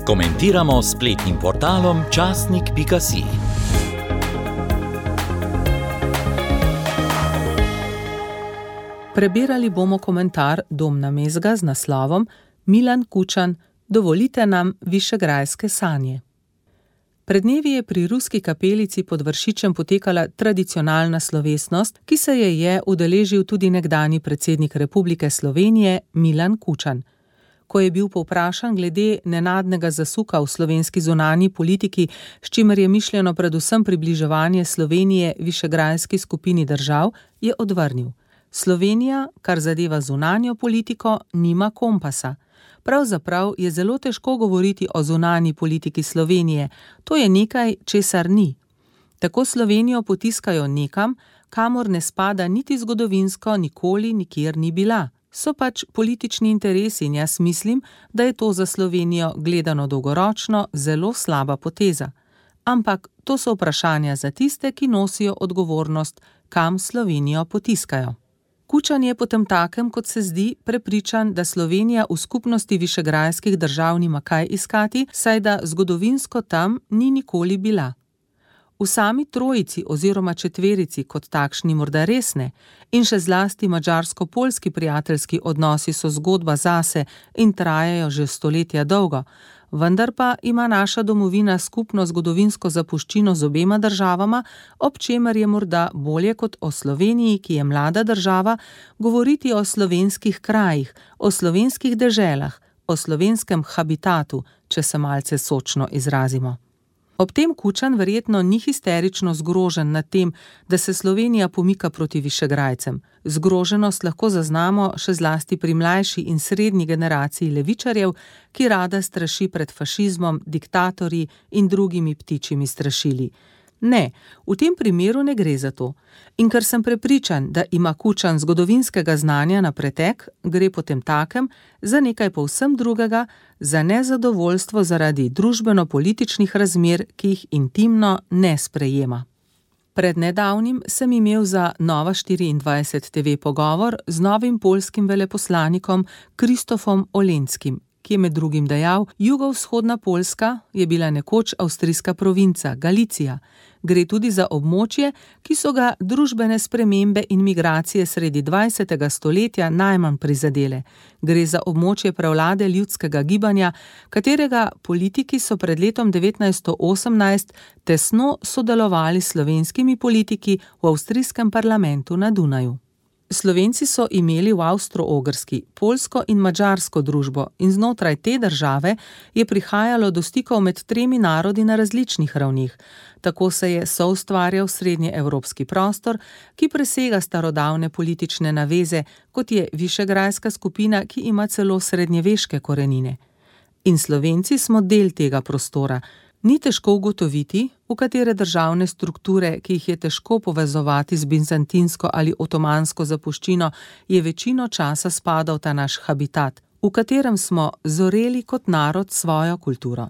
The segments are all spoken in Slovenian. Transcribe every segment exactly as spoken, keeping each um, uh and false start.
Komentiramo s spletnim portalom časnik pika si. Prebirali bomo komentar Domna Mezga z naslovom Milan Kučan, dovolite nam višegrajske sanje. Pred dnevi je pri ruski kapelici pod Vršičem potekala tradicionalna slovesnost, ki se je je udeležil tudi nekdanji predsednik Republike Slovenije Milan Kučan. Ko je bil povprašan glede nenadnega zasuka v slovenski zunanji politiki, s čimer je mišljeno predvsem približevanje Slovenije višegrajski skupini držav, je odvrnil: Slovenija, kar zadeva zunanjo politiko, nima kompasa. Pravzaprav je zelo težko govoriti o zunanji politiki Slovenije, to je nekaj, česar ni. Tako Slovenijo potiskajo nekam, kamor ne spada niti zgodovinsko nikoli nikjer ni bila. So pač politični interesi in jaz mislim, da je to za Slovenijo gledano dolgoročno zelo slaba poteza. Ampak to so vprašanja za tiste, ki nosijo odgovornost, kam Slovenijo potiskajo. Kučan je potemtakem, kot se zdi, prepričan, da Slovenija v skupnosti višegrajskih držav nima kaj iskati, saj da zgodovinsko tam ni nikoli bila. V sami trojici oziroma četverici kot takšni morda res ne, in še zlasti madžarsko-poljski prijateljski odnosi so zgodba zase in trajajo že stoletja dolgo, vendar pa ima naša domovina skupno zgodovinsko zapuščino z obema državama, ob čemer je morda bolje kot o Sloveniji, ki je mlada država, govoriti o slovenskih krajih, o slovenskih deželah, o slovenskem habitatu, če se malce sočno izrazimo. Ob tem Kučan verjetno ni histerično zgrožen nad tem, da se Slovenija pomika proti višegrajcem. Zgroženost lahko zaznamo še zlasti pri mlajši in srednji generaciji levičarjev, ki rada straši pred fašizmom, diktatorji in drugimi ptičjimi strašili. Ne, v tem primeru ne gre za to. In ker sem prepričan, da ima Kučan zgodovinskega znanja na pretek, gre potemtakem za nekaj povsem drugega, za nezadovoljstvo zaradi družbeno-političnih razmer, ki jih intimno ne sprejema. Pred nedavnim sem imel za Nova štiriindvajset te ve pogovor z novim poljskim veleposlanikom Kristofom Olenskim, ki je med drugim dejal: jugovzhodna Poljska je bila nekoč avstrijska provinca, Galicija. Gre tudi za območje, ki so ga družbene spremembe in migracije sredi dvajsetega stoletja najmanj prizadele. Gre za območje prevlade ljudskega gibanja, katerega politiki so pred letom devetnajststo osemnajst tesno sodelovali s slovenskimi politiki v avstrijskem parlamentu na Dunaju. Slovenci so imeli v avstro-ogrski, poljsko in madžarsko družbo in znotraj te države je prihajalo do stikov med tremi narodi na različnih ravnih. Tako se je soustvarjal srednjeevropski prostor, ki presega starodavne politične naveze, kot je višegrajska skupina, ki ima celo srednjeveške korenine. In Slovenci smo del tega prostora. Ni težko ugotoviti, v katere državne strukture, ki jih je težko povezovati z bizantinsko ali otomansko zapuščino, je večino časa spadal ta naš habitat, v katerem smo zoreli kot narod svojo kulturo.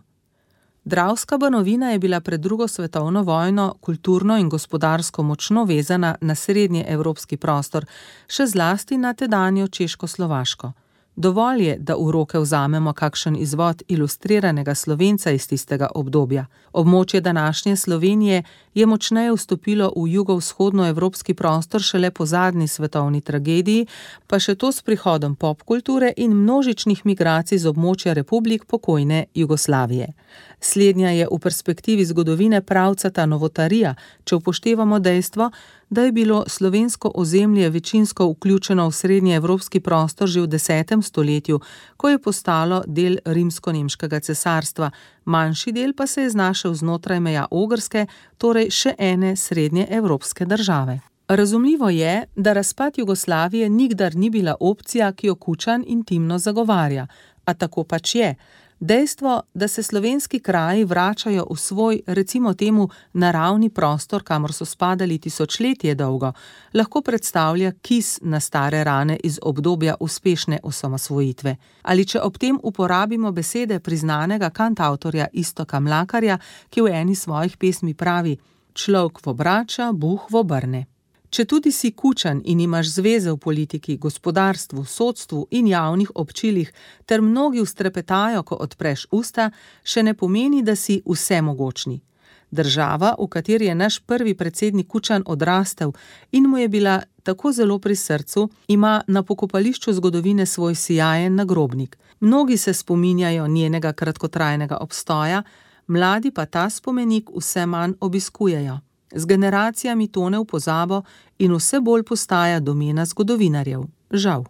Dravska Banovina je bila pred drugo svetovno vojno kulturno in gospodarsko močno vezana na srednjeevropski prostor, še zlasti na tedanjo Češko-Slovaško. Dovolj je, da v roke vzamemo kakšen izvod ilustriranega Slovenca iz tistega obdobja. Območje današnje Slovenije je močneje vstopilo v jugovzhodnoevropski prostor šele po zadnji svetovni tragediji, pa še to s prihodom popkulture in množičnih migracij z območja republik pokojne Jugoslavije. Slednja je v perspektivi zgodovine pravcata novotarija, če upoštevamo dejstvo, da je bilo slovensko ozemlje večinsko vključeno v srednjeevropski prostor že v desetem stoletju, ko je postalo del rimsko-nemškega cesarstva, manjši del pa se je znašel znotraj meja Ogrske, torej še ene srednjeevropske države. Razumljivo je, da razpad Jugoslavije nikdar ni bila opcija, ki jo Kučan intimno zagovarja, a tako pač je. Dejstvo, da se slovenski kraji vračajo v svoj, recimo temu, naravni prostor, kamor so spadali tisočletje dolgo, lahko predstavlja kis na stare rane iz obdobja uspešne osamosvojitve. Ali če ob tem uporabimo besede priznanega kantavtorja Iztoka Mlakarja, ki v eni svojih pesmi pravi: človek vobrača, Bog vobrne. Če tudi si Kučan in imaš zveze v politiki, gospodarstvu, sodstvu in javnih občilih, ter mnogi ustrepetajo, ko odpreš usta, še ne pomeni, da si vsemogočni. Država, v kateri je naš prvi predsednik Kučan odrastel in mu je bila tako zelo pri srcu, ima na pokopališču zgodovine svoj sijajen nagrobnik. Mnogi se spominjajo njenega kratkotrajnega obstoja, mladi pa ta spomenik vse manj obiskujejo. Z generacijami tone v pozabo in vse bolj postaja domena zgodovinarjev. Žal.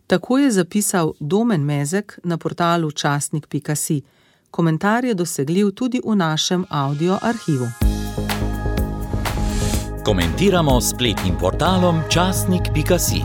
Tako je zapisal Domen Mezek na portalu časnik pika si. Komentar je dosegljiv tudi v našem audio arhivu. Komentiramo s spletnim portalom časnik pika si.